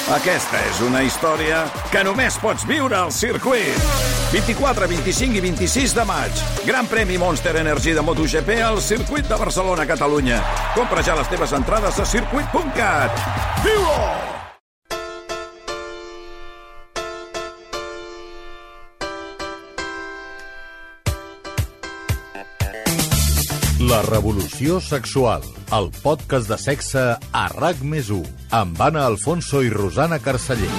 Aquesta és una història que només pots viure al circuit. 24, 25 i 26 de maig. Gran premi Monster Energy de MotoGP al circuit de Barcelona, Catalunya. Compra ja les teves entrades a circuit.cat. Viu-ho! La revolució sexual, el podcast de sexe a RAC+1, amb Anna Alfonso i Rosana Carceller.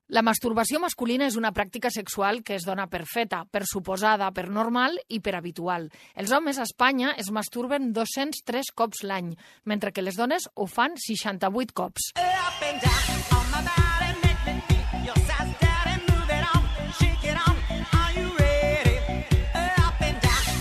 La masturbació masculina és una pràctica sexual que es dona per feta, per suposada, per normal i per habitual. Els homes a Espanya es masturben 203 cops l'any, mentre que les dones ho fan 68 cops.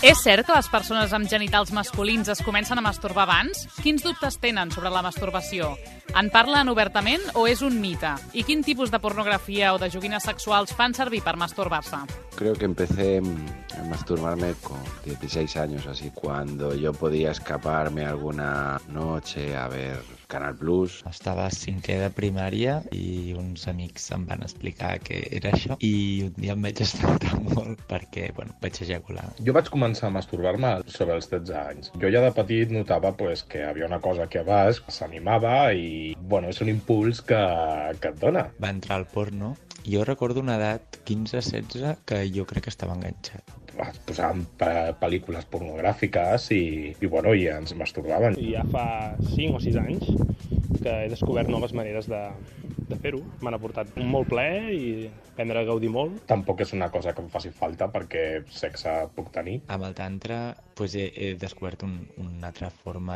És cert que les persones amb genitals masculins es comencen a masturbar abans? Quins dubtes tenen sobre la masturbació? En parlen obertament o és un mite? I quin tipus de pornografia o de joguines sexuals fan servir per masturbar-se? Creo que empecé a masturbarme con 16 años, así, cuando yo podía escaparme alguna noche a ver Canal Plus. Estava a cinquè de primària i uns amics em van explicar què era això i un dia em vaig espantar molt perquè, vaig ejacular. Jo vaig començar a masturbar-me sobre els 13 anys. Jo ja de petit notava que havia una cosa que a baix s'animava i, és un impuls que et dona. Va entrar al porno. Jo recordo una edat, 15-16, que jo crec que estava enganxat. Posàvem pel·lícules pornogràfiques i ens masturbaven. I ja fa 5 o 6 anys que he descobert noves maneres de fer-ho. M'han aportat molt plaer i aprendre a gaudir molt. Tampoc és una cosa que em faci falta perquè sexe puc tenir. Amb el tantra he descobert una altra forma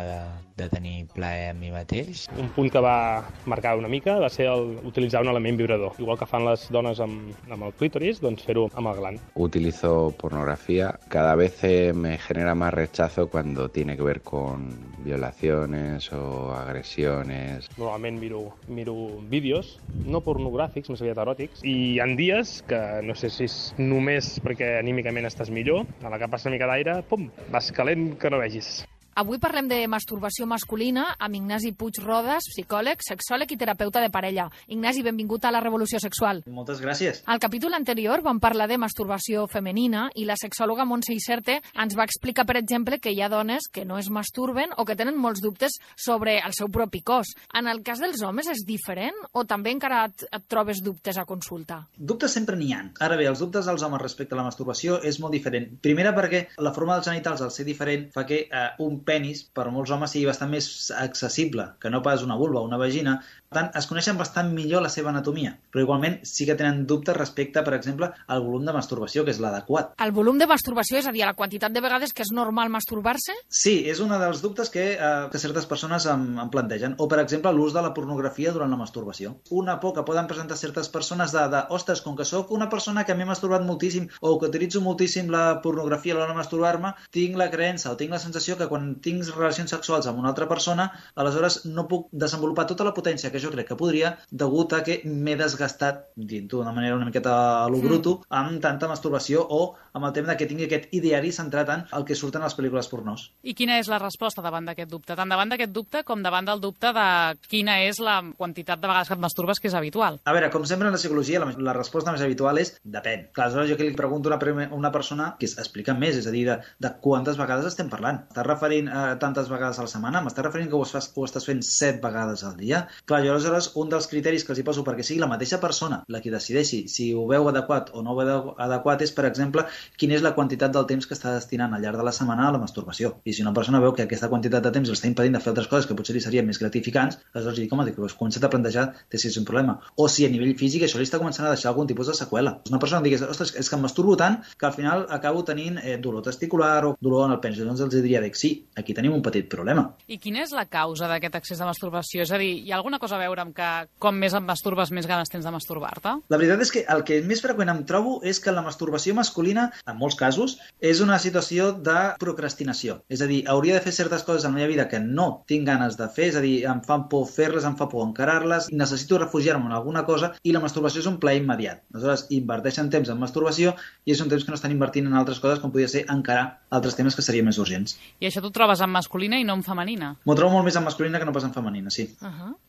de tenir plaer a mi mateix. Un punt que va marcar una mica va ser utilitzar un element vibrador. Igual que fan les dones amb el clítoris, doncs fer-ho amb el gland. Utilizo pornografía. Cada vez me genera más rechazo cuando tiene que ver con violaciones o agresiones. Normalment miro vídeos, no pornogràfics, més aviat eròtics, i hi ha dies que no sé si és només perquè anímicament estàs millor, a la que passa una mica d'aire, pum, vas calent que no vegis. Avui parlem de masturbació masculina amb Ignasi Puig Rodas, psicòleg, sexòleg i terapeuta de parella. Ignasi, benvingut a la Revolució Sexual. Moltes gràcies. Al capítol anterior vam parlar de masturbació femenina i la sexòloga Montse Iserte ens va explicar, per exemple, que hi ha dones que no es masturben o que tenen molts dubtes sobre el seu propi cos. En el cas dels homes és diferent o també encara et trobes dubtes a consulta? Dubtes sempre n'hi ha. Ara bé, els dubtes dels homes respecte a la masturbació és molt diferent. Primera perquè la forma dels genitals, al ser diferent, fa que un penis, per molts homes, sigui bastant més accessible que no pas una vulva o una vagina. Per tant, es coneixen bastant millor la seva anatomia, però igualment sí que tenen dubtes respecte, per exemple, al volum de masturbació, que és l'adequat. El volum de masturbació, és a dir, la quantitat de vegades que és normal masturbar-se? Sí, és un dels dubtes que certes persones em plantegen. O, per exemple, l'ús de la pornografia durant la masturbació. Una por que poden presentar certes persones ostres, com que sóc una persona que m'he masturbat moltíssim o que utilitzo moltíssim la pornografia a l'hora de masturbar-me, tinc la creença o tinc la sensació que quan tinc relacions sexuals amb una altra persona, aleshores no puc desenvolupar tota la potència que jo crec que podria, degut a que m'he desgastat, dient-ho d'una manera una miqueta a lo bruto, amb tanta masturbació o amb el tema que tingui aquest ideari centrat en el que surten a les pel·lícules pornós. I quina és la resposta davant d'aquest dubte? Tant davant d'aquest dubte com davant del dubte de quina és la quantitat de vegades que et masturbes que és habitual? A veure, com sempre en la psicologia, la resposta més habitual és depèn. Clar, aleshores jo que li pregunto a una persona que explica més, és a dir, de quantes vegades estem parlant. Estàs referint a tantes vegades a la setmana? M'estàs referint que ho estàs fent 7 vegades al dia? Clar, jo aleshores un dels criteris que els hi poso perquè sigui la mateixa persona la que decideixi si ho veu adequat o no ho veu adequat és, per exemple, quina és la quantitat del temps que està destinant al llarg de la setmana a la masturbació. I si una persona veu que aquesta quantitat de temps l'està impedint de fer altres coses que potser li serien més gratificants, aleshores li dic, home, comença't a plantejar si és un problema. O si a nivell físic això li està començant a deixar algun tipus de seqüela. Una persona que digués, ostres, és que em masturbo tant que al final acabo tenint dolor testicular o dolor en el penis. Doncs els diria que sí, aquí tenim un petit problema. I quina és la causa d'aquest excés de masturbació? És a dir, hi ha alguna cosa a veure amb que com més et masturbes, més ganes tens de masturbar-te? La veritat és que el que més freqüent em trobo és que la masturbació masculina, en molts casos, és una situació de procrastinació. És a dir, hauria de fer certes coses en la meva vida que no tinc ganes de fer, és a dir, em fan por fer-les, em fa por encarar-les, necessito refugiar-me en alguna cosa i la masturbació és un plaer immediat. Aleshores, inverteixen temps en masturbació i és un temps que no estan invertint en altres coses com podria ser encarar altres temes que serien més urgents. I això t'ho trobes en masculina i no en femenina? M'ho trobo molt més en masculina que no pas en femenina, sí.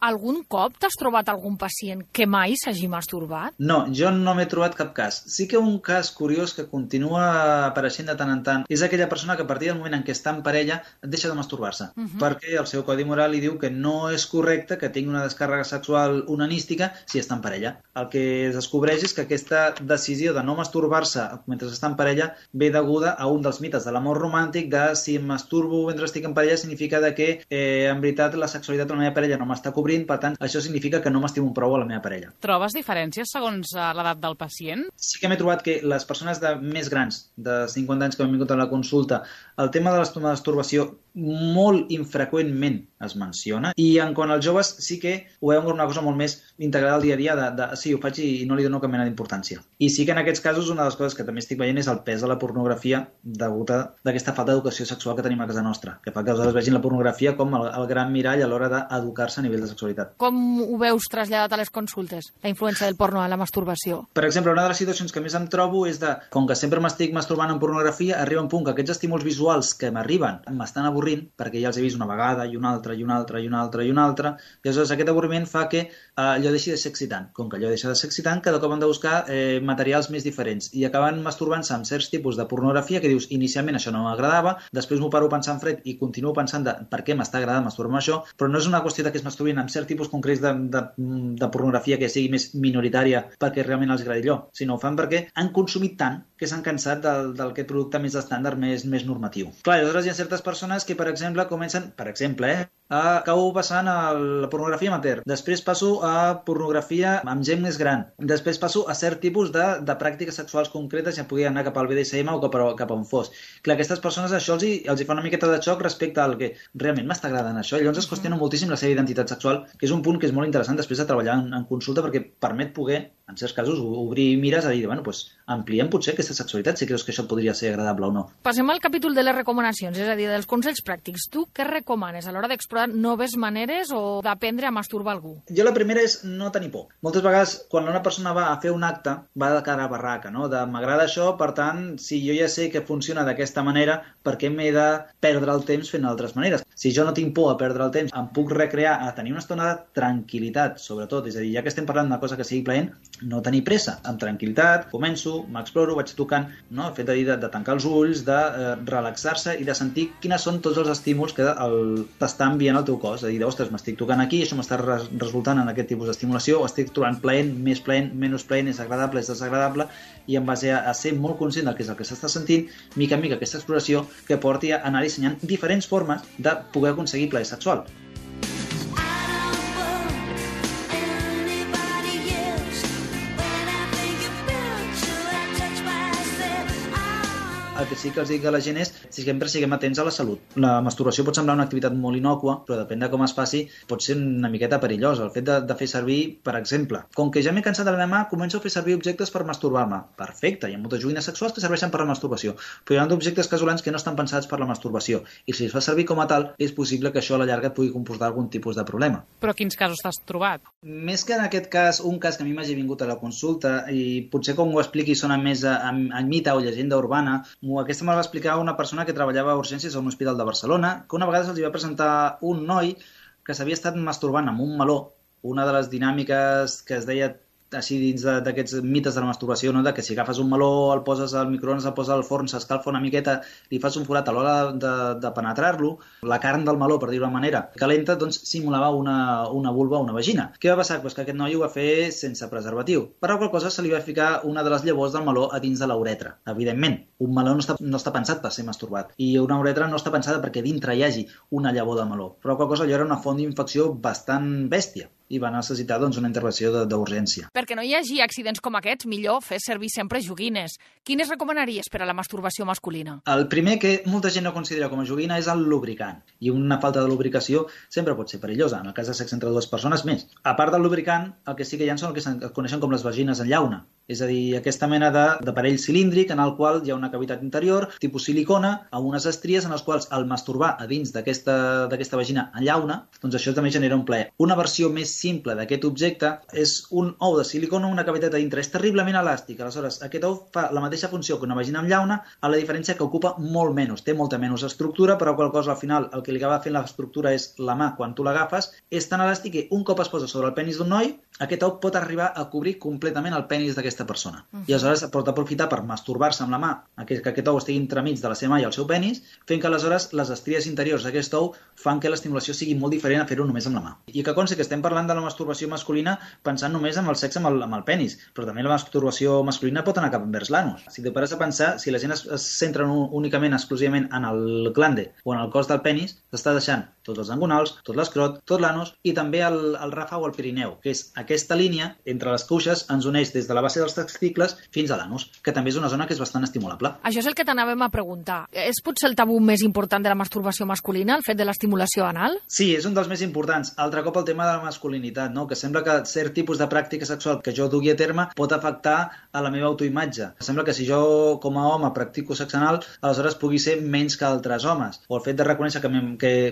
Algun cop t'has trobat algun pacient que mai s'hagi masturbat? No, jo no m'he trobat cap cas. Sí que un cas curiós que continua apareixent de tant en tant és aquella persona que a partir del moment en què està en parella deixa de masturbar-se, perquè el seu codi moral li diu que no és correcte que tingui una descàrrega sexual onanística si està en parella. El que es descobreix és que aquesta decisió de no masturbar-se mentre està en parella ve deguda a un dels mites de l'amor romàntic de si em masturbo mentre estic en parella significa que en veritat la sexualitat de la meva parella no m'està cobrint, per tant això significa que no m'estimo prou a la meva parella. Trobes diferències segons l'edat del pacient? Sí que m'he trobat que les persones més grans, de 50 anys que m'han vingut a la consulta, el tema de la masturbació molt infreqüentment es menciona, i en quant als joves sí que ho veuen com una cosa molt més integrada al dia a dia, sí, ho faig i no li dono cap mena d'importància. I sí que en aquests casos una de les coses que també estic veient és el pes de la pornografia degut a aquesta falta d'educació sexual que tenim a casa nostra, que fa que els vegin la pornografia com el gran mirall a l'hora d'educar-se a nivell de sexualitat. Com ho veus traslladat a les consultes, la influència del porno a la masturbació? Per exemple, una de les situacions que més em trobo és de, com que sempre m'estic masturbant en pornografia, arriba un punt que aquests estímuls visuals que m'arriben m'estan avorrint, perquè ja els he vist una vegada i una altra i una altra i una altra i una altra, i aleshores aquest avorriment fa que allò deixi de ser excitant. Com que allò deixa de ser excitant, cada cop han de buscar materials més diferents i acaben masturbant-se amb certs tipus de pornografia que dius, inicialment això no m'agradava, després m'ho paro pensant fred i continuo pensant de per què m'està agradant masturbar-me això, però no és una qüestió de que es masturbin amb cert tipus concrets de pornografia que sigui més minoritària perquè realment els agradi allò, sinó ho fan perquè han consumit tant que s'han cansat d'aquest producte més estàndard, més normatiu. Clar, aleshores hi ha certes persones que, per exemple, comencen, acabo passant a la pornografia amateur, després passo a pornografia amb gent més gran, després passo a cert tipus de pràctiques sexuals concretes, ja pugui anar cap al BDSM o cap a on fos. Clar, aquestes persones això els hi fa una miqueta de xoc respecte al que realment m'està agradant això, i llavors es qüestiona moltíssim la seva identitat sexual, que és un punt que és molt interessant després de treballar en consulta perquè permet poder, en certs casos, obrir mires a dir, bueno, doncs ampliem potser aquesta sexualitat si creus que això podria ser agradable o no. Passem al capítol de les recomanacions, és a dir, dels consells pràctics. Tu què recomanes a l'hora d'explorar noves maneres o d'aprendre a masturbar algú? Jo la primera és no tenir por. Moltes vegades, quan una persona va a fer un acte, va de cara a barraca, no? M'agrada això, per tant, si jo ja sé que funciona d'aquesta manera, per què m'he de perdre el temps fent altres maneres? Si jo no tinc por a perdre el temps, em puc recrear a tenir una estona de tranquil·litat, sobretot. És a dir, ja que estem parlant d'una cosa que sigui plaent, no tenir pressa. Amb tranquil·litat, començo, m'exploro, vaig tocant, no? El fet de tancar els ulls, de relaxar-se i de sentir quines són tots els estímuls que t'està enviant el teu cos. És a dir, ostres, m'estic tocant aquí, això m'està resultant en aquest tipus d'estimulació, o estic trobant plaent, més plaent, menys plaent, és agradable, és desagradable, i en base a ser molt conscient del que és el que s'està sentint, mica en mica aquesta exploració que porti a anar dissenyant diferents formes de poder aconseguir plaer sexual. El que sí que els dic a la gent és que sempre siguem atents a la salut. La masturbació pot semblar una activitat molt innòcua, però depèn de com es faci, pot ser una miqueta perillosa. El fet de fer servir, per exemple, com que ja m'he cansat de la meva mà, començo a fer servir objectes per masturbar-me. Perfecte, hi ha moltes joguines sexuals que serveixen per la masturbació, però hi ha objectes casolans que no estan pensats per la masturbació, i si es fa servir com a tal, és possible que això a la llarga et pugui comportar algun tipus de problema. Però quins casos t'has trobat? Més que en aquest cas, un cas que a mi m'hagi vingut a la consulta, i potser com ho expliqui sona més a mite o llegenda urbana, aquesta me la va explicar una persona que treballava a urgències a un hospital de Barcelona, que una vegada se'ls va presentar un noi que s'havia estat masturbant amb un meló, una de les dinàmiques que es deia així dins d'aquests mites de la masturbació, no? De que si agafes un meló, el poses al microones, el poses al forn, s'escalfa una miqueta, li fas un forat a l'hora de penetrar-lo, la carn del meló, per dir-ho d'una manera, calenta, doncs simulava una vulva o una vagina. Què va passar? Pues que aquest noi ho va fer sense preservatiu. Per la qual cosa se li va ficar una de les llavors del meló a dins de la uretra. Evidentment, un meló no està pensat per ser masturbat, i una uretra no està pensada perquè dintre hi hagi una llavor de meló. Per la qual cosa allò era una font d'infecció bastant bèstia i va necessitar una intervenció d'urgència. Perquè no hi hagi accidents com aquests, millor fer servir sempre joguines. Quines recomanaries per a la masturbació masculina? El primer que molta gent no considera com a joguina és el lubricant. I una falta de lubricació sempre pot ser perillosa, en el cas de sexe entre dues persones més. A part del lubricant, el que sí que hi ha són el que es coneixen com les vagines en llauna. És a dir, aquesta mena d'aparell cilíndric en el qual hi ha una cavitat interior, tipus silicona, amb unes estries en les quals al masturbar a dins d'aquesta vagina en llauna, doncs això també genera un plaer. Una versió més simple d'aquest objecte és un ou de silicona amb una cavitat a dintre. És terriblement elàstic. Aleshores, aquest ou fa la mateixa funció que una vagina amb llauna, a la diferència que ocupa molt menys. Té molta menys estructura, però qual cosa al final el que li acaba fent l'estructura és la mà quan tu l'agafes. És tan elàstic que un cop es posa sobre el penis d'un noi, aquest ou pot arribar a cobrir completament el penis d'aquesta persona. I aleshores pot aprofitar per masturbar-se amb la mà, que aquest ou estigui entremig de la seva mà i el seu penis, fent que aleshores les estries interiors d'aquest ou fan que l'estimulació sigui molt diferent a fer-ho només amb la mà. I que consti que estem parlant de la masturbació masculina pensant només en el sexe amb el penis, però també la masturbació masculina pot anar cap envers l'anus. Si te pares a pensar, si la gent es centra únicament, exclusivament en el glande o en el cos del penis, s'està deixant tots els angonals, tot l'escrot, tot l'anus i també el rafa o el pirineu, que és aquesta línia entre les cuixes ens uneix des de la base dels testicles fins a l'anus, que també és una zona que és bastant estimulable. Això és el que t'anàvem a preguntar. És potser el tabú més important de la masturbació masculina, el fet de l'estimulació anal? Sí, és un dels més importants. Altre cop el tema de la masculinitat, no? Que sembla que cert tipus de pràctica sexual que jo dugui a terme pot afectar a la meva autoimatge. Sembla que si jo com a home practico sexe anal, aleshores pugui ser menys que altres homes. O el fet de reconèixer que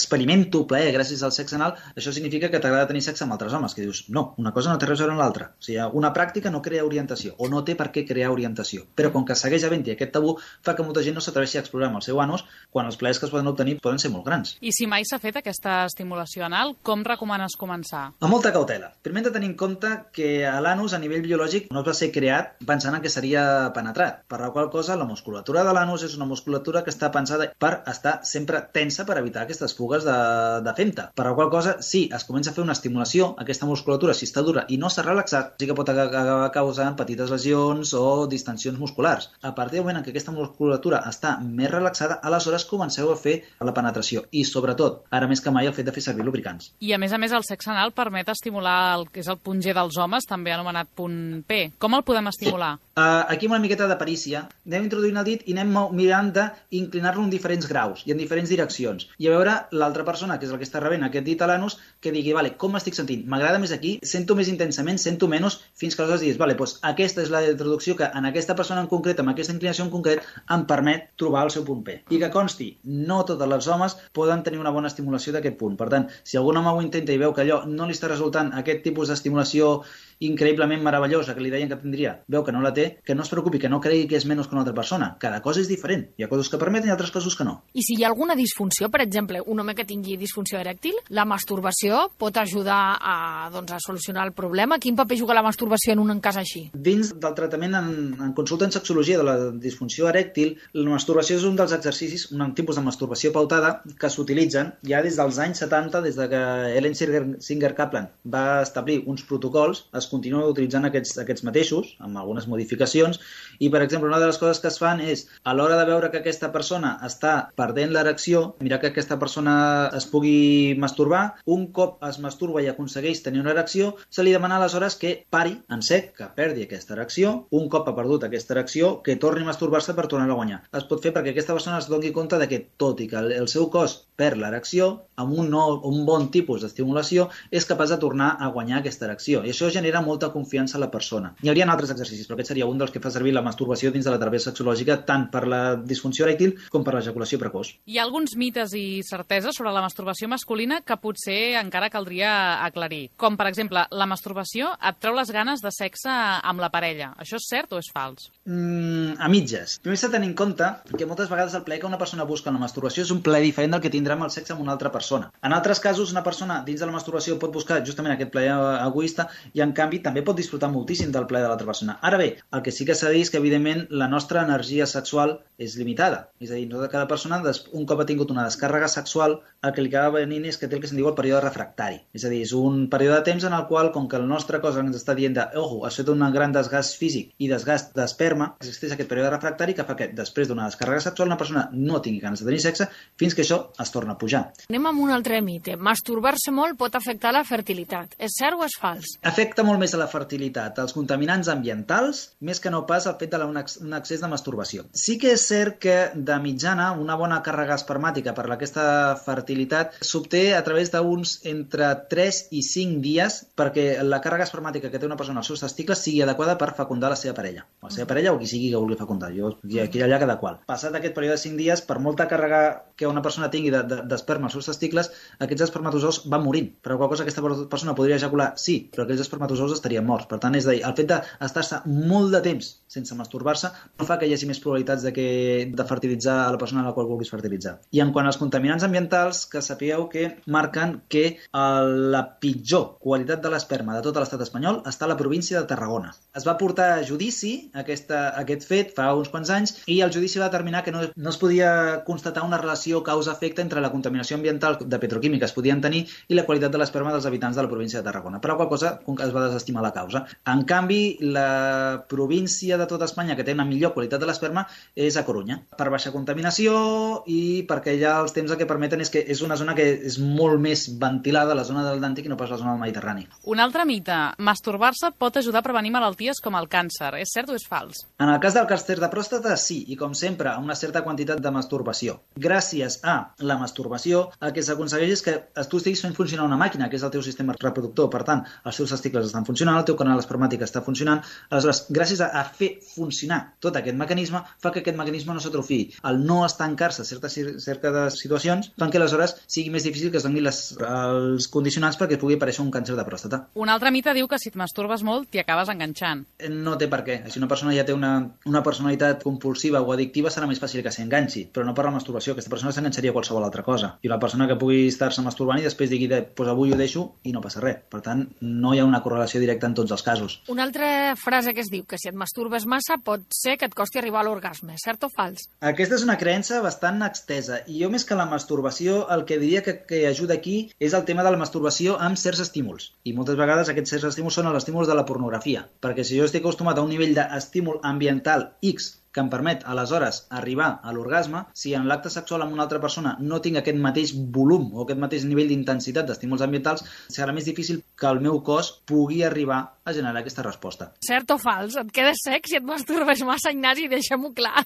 experimento plaer gràcies al sexe anal, això significa que t'agrada tenir sexe amb altres homes, que dius, no, una cosa no té res a veure amb l'altra. O sigui, una pràctica no crea orientació, o no té per què crear orientació. Però com que segueix havent-hi aquest tabú, fa que molta gent no s'atreveixi a explorar amb el seu anus quan els plaers que es poden obtenir poden ser molt grans. I si mai s'ha fet aquesta estimulació anal, com recomanes començar? Amb molta cautela. Primer hem de tenir en compte que l'anus a nivell biològic no es va ser creat pensant en que seria penetrat, per la qual cosa la musculatura de l'anus és una musculatura que està pensada per estar sempre tensa per evitar aquestes fugues de femta. Per la qual cosa, si es comença a fer una estimulació, aquesta musculatura, si està dura i no s'ha relaxat, sí que pot acabar causant petites lesions o distensions musculars. A partir del moment en què aquesta musculatura està més relaxada, aleshores comenceu a fer la penetració i, sobretot, ara més que mai, el fet de fer servir lubricants. I, a més, el sexe anal permet estimular el que és el punt G dels homes, també anomenat punt P. Com el podem estimular? Sí. Aquí amb una miqueta de perícia, anem introduint el dit i anem mirant d'inclinar-lo en diferents graus i en diferents direccions. I a veure l'altra persona, que és el que està rebent aquest dit a l'anus, que digui, vale, com m'estic sentint? M'agrada més aquí? Sento més intensament? Sento menys? Fins que aleshores diguis, vale, doncs aquesta és la introducció que en aquesta persona en concret, amb aquesta inclinació en concret, em permet trobar el seu punt P. I que consti, no tots els homes poden tenir una bona estimulació d'aquest punt. Per tant, si algun home ho intenta i veu que allò no li està resultant aquest tipus d'estimulació increïblement meravellosa que li deien que tindria, veu que no la té, que no es preocupi, que no cregui que és menys que una altra persona. Cada cosa és diferent. Hi ha coses que permeten i altres coses que no. I si hi ha alguna disfunció, per exemple, un home que tingui disfunció erèctil, la masturbació pot ajudar a solucionar el problema? Quin paper juga la masturbació en un cas així? Dins del tractament en consulta en sexologia de la disfunció erèctil, la masturbació és un dels exercicis, un tipus de masturbació pautada que s'utilitzen ja des dels anys 70, des de que Ellen Singer Kaplan va establir uns protocols, es continuen utilitzant aquests mateixos, amb algunes modificacions, i, per exemple, una de les coses que es fan és, a l'hora de veure que aquesta persona està perdent l'erecció, mirar que aquesta persona es pugui masturbar, un cop es masturba i aconsegueix tenir una erecció, se li demana aleshores que pari en sec, que perdi aquesta erecció, un cop ha perdut aquesta erecció, que torni a masturbar-se per tornar-la a guanyar. Es pot fer perquè aquesta persona es doni compte de que, tot i que el seu cos perd l'erecció, amb un bon tipus d'estimulació, és capaç de tornar a guanyar aquesta erecció. I això genera molta confiança a la persona. Hi haurien altres exercicis, però aquest seria un dels que fa servir la masturbació dins de la teràpia sexològica, tant per la disfunció erèctil com per l'ejaculació precoç. Hi ha alguns mites i certeses sobre la masturbació masculina que potser encara caldria aclarir. Com, per exemple, la masturbació et treu les ganes de sexe amb la parella. Això és cert o és fals? A mitges. Primer s'ha de tenir en compte que moltes vegades el plaer que una persona busca en la masturbació és un plaer diferent del que tindrà amb el sexe amb una altra persona. En altres casos, una persona dins de la masturbació pot buscar justament aquest plaer egoista i, en canvi, també pot disfrutar moltíssim del plaer de l'altra persona. Ara bé, el que sí que s'ha de dir és que, evidentment, la nostra energia sexual és limitada. És a dir, no de cada persona, un cop ha tingut una descàrrega sexual, el que li acaba venint és que té el que se'n diu el període refractari. És a dir, és un període de temps en el qual, com que el nostre cos ens està dient ojo, has fet un gran desgast físic i desgast d'esperma, existeix aquest període refractari que fa que, després d'una descàrrega sexual, una persona no tingui ganes de tenir sexe fins que això es torna a pujar. Anem amb un altre mite. Masturbar-se molt pot afectar la fertilitat. És cert o és fals? Afecta molt més a la fertilitat els contaminants ambientals, més que no pas el fet d'un excés de masturbació. Sí que és cert que, de mitjana, una bona càrrega espermàtica per aquesta fertilitat s'obté a través d'uns entre 3 i 5 dies perquè la càrrega espermàtica que té una persona als seus testicles sigui adequada per fecundar la seva parella. La seva parella o qui sigui que vulgui fecundar. Aquí allà cada qual. Passat aquest període de 5 dies, per molta càrrega que una persona tingui d'esperma als seus testicles, aquests espermatozous van morint. Per qual cosa aquesta persona podria ejacular? Sí, però aquells espermatozous estarien morts. Per tant, és a dir, el fet d'estar-se molt de temps sense masturbar-se no fa que hi hagi més probabilitats de fertilitzar a la persona a la qual vulguis fertilitzar. I en quant als contaminants ambientals, que sapigueu que marquen que la pitjor qualitat de l'esperma de tot l'estat espanyol està a la província de Tarragona. Es va portar a judici aquest fet fa uns quants anys i el judici va determinar que no es podia constatar una relació causa-efecte entre la contaminació ambiental de petroquímica que es podien tenir i la qualitat de l'esperma dels habitants de la província de Tarragona. Per la qual cosa es va desestimar la causa. En canvi, la província de tota Espanya que té una millor qualitat de l'esperma és a Corunya, per baixa contaminació i perquè ja els temps el que permeten és que és una zona que és molt més ventilada, la zona del Dàntic, i no pas la zona del Mediterrani. Un altre mite. Masturbar-se pot ajudar a prevenir malalties com el càncer. És cert o és fals? En el cas del càncer de pròstata, sí, i com sempre, a una certa quantitat de masturbació. Gràcies a la masturbació, el que s'aconsegueix és que tu estiguis fent funcionar una màquina, que és el teu sistema reproductor. Per tant, els teus testicles estan funcionant, el teu canal espermàtic està funcionant. Aleshores, gràcies a fer funcionar tot aquest mecanisme, fa que aquest mecanisme no s'atrofiï. El no estancar-se cerca de situacions fan que aleshores sigui més difícil que es donin els condicionants perquè pugui aparèixer un càncer de pròstata. Un altre mite diu que si et masturbes molt t'hi acabes enganxant. No té per què. Si una persona ja té una personalitat compulsiva o addictiva serà més fàcil que s'enganxi, però no per la masturbació. Aquesta persona s'enganxaria a qualsevol altra cosa. I una persona que pugui estar-se masturbant i després digui pues avui ho deixo i no passa res. Per tant, no hi ha una correlació directa en tots els casos. Una altra frase que es diu que si et masturbes massa pot ser que et costi arribar a l'orgasme. Cert o fals? Aquesta és una creença bastant extesa i jo més que la masturbació el que diria que ajuda aquí és el tema de la masturbació amb certs estímuls. I moltes vegades aquests certs estímuls són els estímuls de la pornografia. Perquè si jo estic acostumat a un nivell d'estímul ambiental X que em permet, aleshores, arribar a l'orgasme, si en l'acte sexual amb una altra persona no tinc aquest mateix volum o aquest mateix nivell d'intensitat d'estímuls ambientals, serà més difícil que el meu cos pugui arribar a generar aquesta resposta. Cert o fals? Et quedes sec si et masturbes massa, Ignasi? Deixem-ho clar.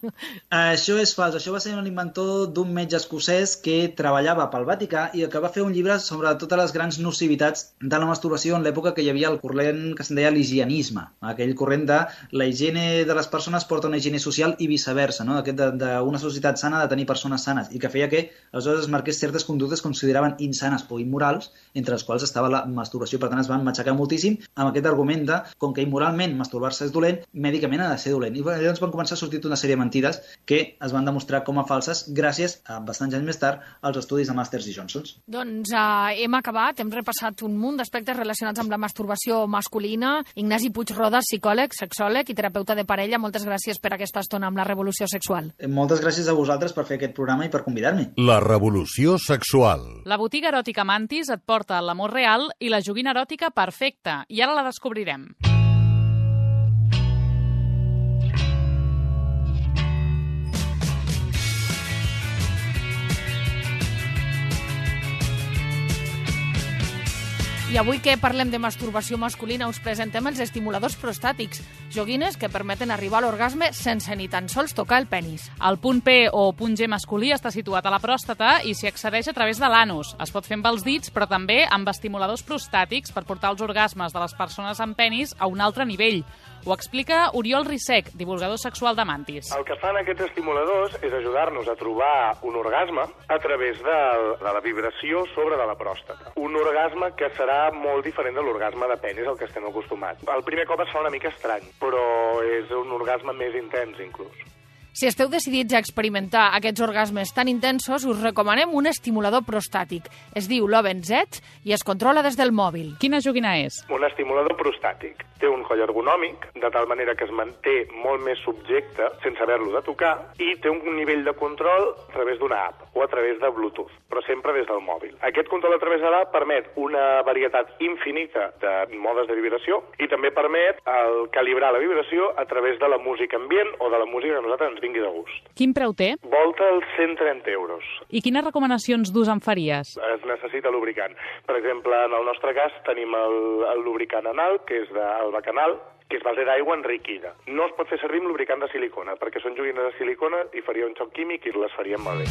Això és fals. Això va ser un inventor d'un metge escocès que treballava pel Vaticà i que va fer un llibre sobre totes les grans nocivitats de la masturbació en l'època que hi havia el corrent que se'n deia l'higienisme. Aquell corrent de la higiene de les persones porta una higiene social i viceversa, no? Aquest d'una societat sana de tenir persones sanes i que feia que aleshores es marqués certes conductes que consideraven insanes o immorals, entre les quals estava la masturbació. Per tant, es van matxacar moltíssim amb aquest argument de, com que immoralment masturbar-se és dolent, mèdicament ha de ser dolent. I llavors van començar a sortir una sèrie de mentides que es van demostrar com a falses gràcies, bastants anys més tard, als estudis de Masters i Johnsons. Doncs hem acabat, hem repassat un munt d'aspectes relacionats amb la masturbació masculina. Ignasi Puig-Rodas, psicòleg, sexòleg i terapeuta de parella, moltes gràcies per aquesta estona amb la revolució sexual. Moltes gràcies a vosaltres per fer aquest programa i per convidar-me. La revolució sexual. La botiga eròtica Mantis et porta l'amor real i la joguina eròtica perfecta. I ara la descobrirem. I avui que parlem de masturbació masculina us presentem els estimuladors prostàtics, joguines que permeten arribar a l'orgasme sense ni tan sols tocar el penis. El punt P o punt G masculí està situat a la pròstata i s'hi accedeix a través de l'anus. Es pot fer amb els dits, però també amb estimuladors prostàtics per portar els orgasmes de les persones amb penis a un altre nivell. Ho explica Oriol Rissec, divulgador sexual de Mantis. El que fan aquests estimuladors és ajudar-nos a trobar un orgasme a través de la vibració sobre de la pròstata. Un orgasme que serà molt diferent de l'orgasme de penis al que estem acostumats. El primer cop es fa una mica estrany, però és un orgasme més intens, inclús. Si esteu decidits a experimentar aquests orgasmes tan intensos, us recomanem un estimulador prostàtic. Es diu Loven Z i es controla des del mòbil. Quina joguina és? Un estimulador prostàtic. Té un coll ergonòmic, de tal manera que es manté molt més subjecte sense haver-lo de tocar, i té un nivell de control a través d'una app o a través de Bluetooth, però sempre des del mòbil. Aquest control a través de l'app permet una varietat infinita de modes de vibració i també permet calibrar la vibració a través de la música ambient o de la música que a nosaltres ens vingui de gust. Quin preu té? Volta els 130 euros. I quines recomanacions d'ús en faries? Es necessita lubricant. Per exemple, en el nostre cas tenim el lubricant anal, que és del bacanal, que és base d'aigua enriquida. No es pot fer servir amb lubricant de silicona, perquè són joguines de silicona i faria un xoc químic i les farien malbé.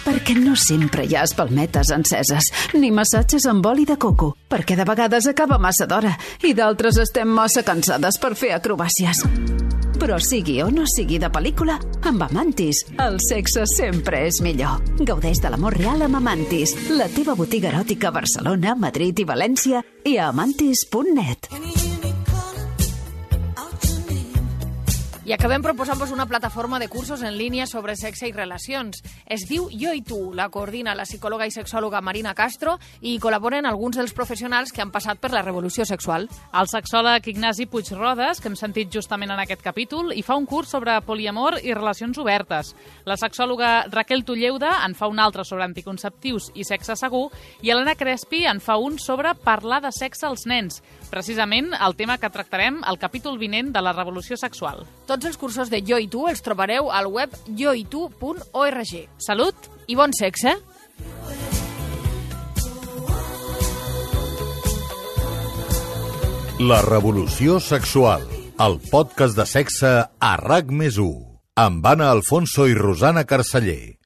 perquè no sempre hi ha espalmetes enceses, ni massatges amb oli de coco, perquè de vegades acaba massa d'hora i d'altres estem massa cansades per fer acrobàcies. Però sigui o no sigui de pel·lícula, amb Amantis el sexe sempre és millor. Gaudeix de l'amor real amb Amantis, la teva botiga eròtica a Barcelona, Madrid i València i a amantis.net. I acabem proposant-vos una plataforma de cursos en línia sobre sexe i relacions. Es diu Jo i tu, la coordina la psicòloga i sexòloga Marina Castro i col·laboren alguns dels professionals que han passat per la revolució sexual. El sexòleg Ignasi Puig-Rodes, que hem sentit justament en aquest capítol, hi fa un curs sobre poliamor i relacions obertes. La sexòloga Raquel Tulleuda en fa un altre sobre anticonceptius i sexe segur i Helena Crespi en fa un sobre parlar de sexe als nens, precisament el tema que tractarem al capítol vinent de la revolució sexual. Tots els cursos de Jo i tu els trobareu al web joitu.org. Salut i bon sexe! La revolució sexual, el podcast de sexe a RAC+1, amb Anna Alfonso i Rosana Carceller.